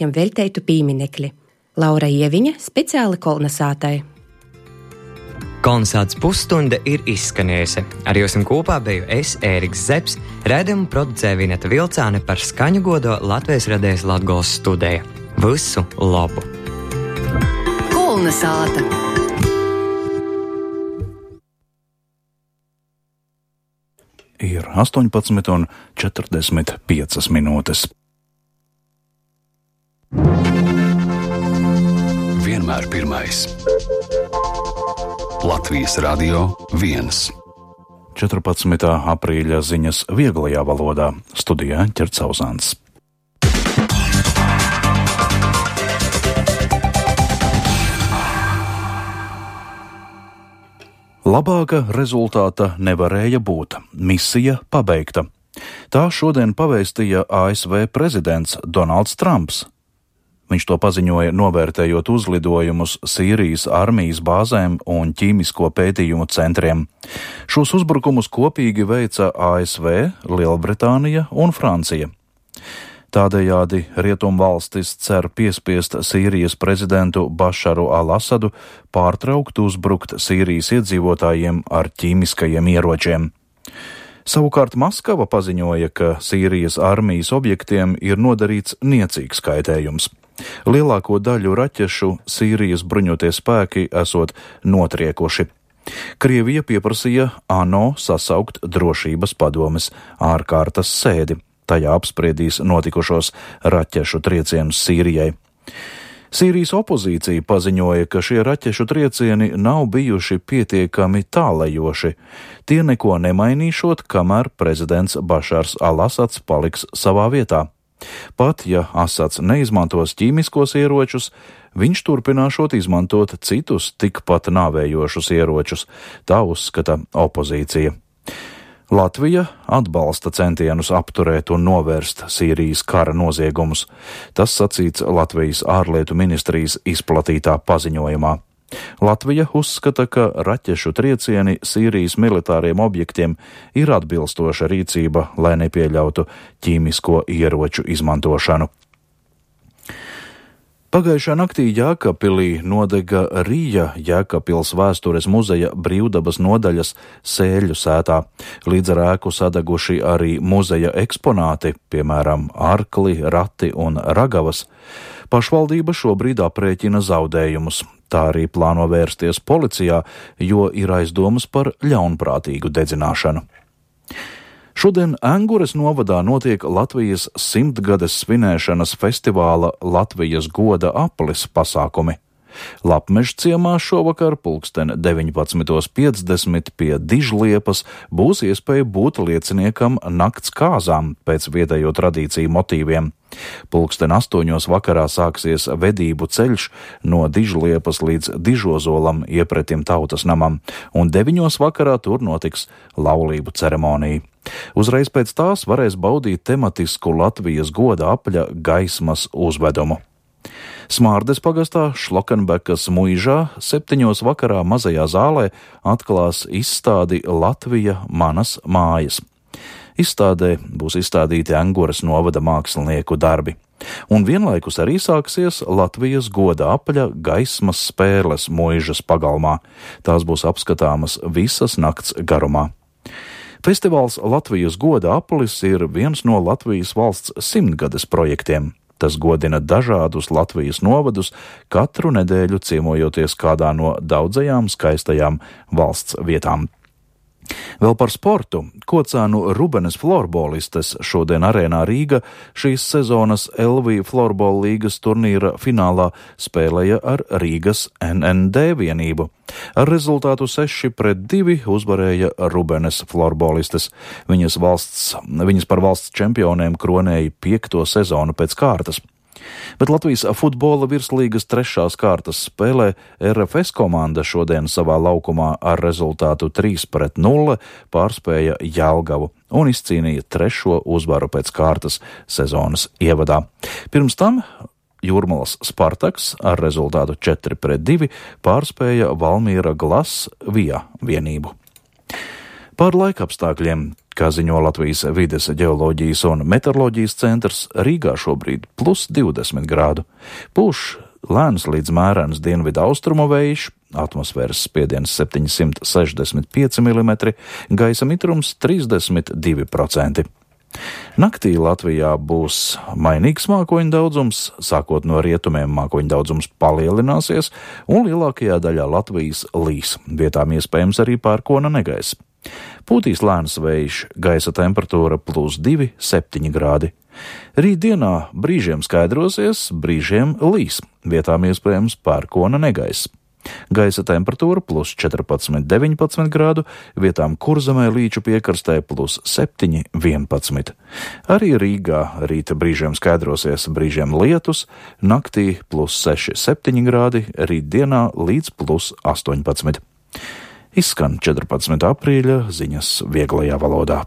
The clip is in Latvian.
jam velteitu pīminekli. Laura Ieviņa speciāli kolnesātai. Kolnesāts pusstunda ir izskanējusi. Ar jums kopā biju es, Ēriks Zepes, raidījumu producēja Vineta Vilcāne, par skaņu godo Latvijas radijas Latgoles studija. Visu labu! Kolnesāta! Ir 18:45 minūtes. Vienmēr pirmais. Latvijas Radio 1. 14. aprīļa ziņas vieglajā valodā. Studijā Ķerts Sauzāns. Labāka rezultāta nevarēja būt. Misija pabeigta. Tā šodien pavēstīja ASV prezidents Donalds Trumps. Viņš to paziņoja, novērtējot uzlidojumus Sīrijas armijas bāzēm un ķīmisko pētījumu centriem. Šos uzbrukumus kopīgi veica ASV, Lielbritānija un Francija. Tādējādi rietumvalstis cer piespiest Sīrijas prezidentu Bašaru al-Asadu pārtraukt uzbrukt Sīrijas iedzīvotājiem ar ķīmiskajiem ieročiem. Savukārt Maskava paziņoja, ka Sīrijas armijas objektiem ir nodarīts niecīgs kaitējums. Lielāko daļu raķešu Sīrijas bruņotie spēki esot notriekuši. Krievija pieprasīja ANO sasaukt drošības padomes ārkārtas sēdi. Tajā apspriedīs notikušos raķešu triecienus Sīrijai. Sīrijas opozīcija paziņoja, ka šie raķešu triecieni nav bijuši pietiekami tālajoši. Tie neko nemainīšot, kamēr prezidents Bašars al-Asads paliks savā vietā. Pat ja Asads neizmantos ķīmiskos ieročus, viņš turpināšot izmantot citus tikpat nāvējošus ieročus, tā uzskata opozīcija. Latvija atbalsta centienus apturēt un novērst Sīrijas kara noziegumus. Tas sacīts Latvijas ārlietu ministrijas izplatītā paziņojumā. Latvija uzskata, ka raķešu triecieni Sīrijas militāriem objektiem ir atbilstoša rīcība, lai nepieļautu ķīmisko ieroču izmantošanu. Pagājušā naktī Jēkabpilī nodega Rīja Jēkabpils vēstures muzeja brīvdabas nodaļas sēļu sētā. Līdz ar ēku sadeguši arī muzeja eksponāti, piemēram, arkli, rati un ragavas. Pašvaldība šobrīd aprēķina zaudējumus. Tā arī plāno vērsties policijā, jo ir aizdomas par ļaunprātīgu dedzināšanu. Šodien Engures novadā notiek Latvijas 100-gades svinēšanas festivāla Latvijas goda aplis pasākumi. Lapmeža ciemā šovakar pulksten 19:50 pie Dižliepas būs iespēja būt lieciniekam nakts kāzām pēc vietējo tradīciju motīviem. Pulksten 8 vakarā sāksies vedību ceļš no Dižliepas līdz Dižozolam iepretim tautas namam, un 9 vakarā tur notiks laulību ceremonija. Uzreiz pēc tās varēs baudīt tematisku Latvijas goda apļa gaismas uzvedumu. Smārdes pagastā Šlokenbekas muižā 7 vakarā mazajā zālē atklās izstādi Latvija manas mājas. Izstādē būs izstādīti Engures novada mākslinieku darbi. Un vienlaikus arī sāksies Latvijas goda apļa gaismas spēles muižas pagalmā. Tās būs apskatāmas visas nakts garumā. Festivāls Latvijas goda aplis ir viens no Latvijas valsts 100-gades projektiem. Tas godina dažādus Latvijas novadus, katru nedēļu ciemojoties kādā no daudzajām skaistajām valsts vietām. Vēl par sportu. Kocēnu Rubenes florbolistes šodien arēnā Rīga šīs sezonas LV Florbola līgas turnīra finālā spēlēja ar Rīgas NND vienību. Ar rezultātu 6-2 uzvarēja Rubenes florbolistes. Viņas par valsts čempionēm kronēja 5. sezonu pēc kārtas. Bet Latvijas futbola virslīgas 3. kārtas spēlē RFS komanda šodien savā laukumā ar rezultātu 3-0 pārspēja Jelgavu un izcīnīja 3. uzvaru pēc kārtas sezonas ievadā. Pirms tam Jūrmalas Spartaks ar rezultātu 4-2 pārspēja Valmiera Glas Via vienību. Par laikapstākļiem. Kā ziņo Latvijas vides ģeoloģijas un meteoroloģijas centrs, Rīgā šobrīd plus 20 grādu. Pūš lēns līdz mērens dienvidu austrumu vējš, atmosfēras spiediens 765 mm, gaisa mitrums 32%. Naktī Latvijā būs mainīgs mākoņu daudzums, sākot no rietumiem mākoņu daudzums palielināsies, un lielākajā daļā Latvijas līs, vietām iespējams arī pērkona negaiss. Pūtīs lēns vējš, gaisa temperatūra plus 2,7 grādi. Rītdienā brīžiem skaidrosies, brīžiem līs, vietām iespējams pērkona negaiss. Gaisa temperatūra plus 14,19 grādu, vietām Kurzemē līču piekrastē plus 7,11. Arī Rīgā rīta brīžiem skaidrosies, brīžiem lietus, naktī plus 6,7 grādi, rītdienā līdz plus 18. Izskan 14. aprīļa ziņas vieglajā valodā.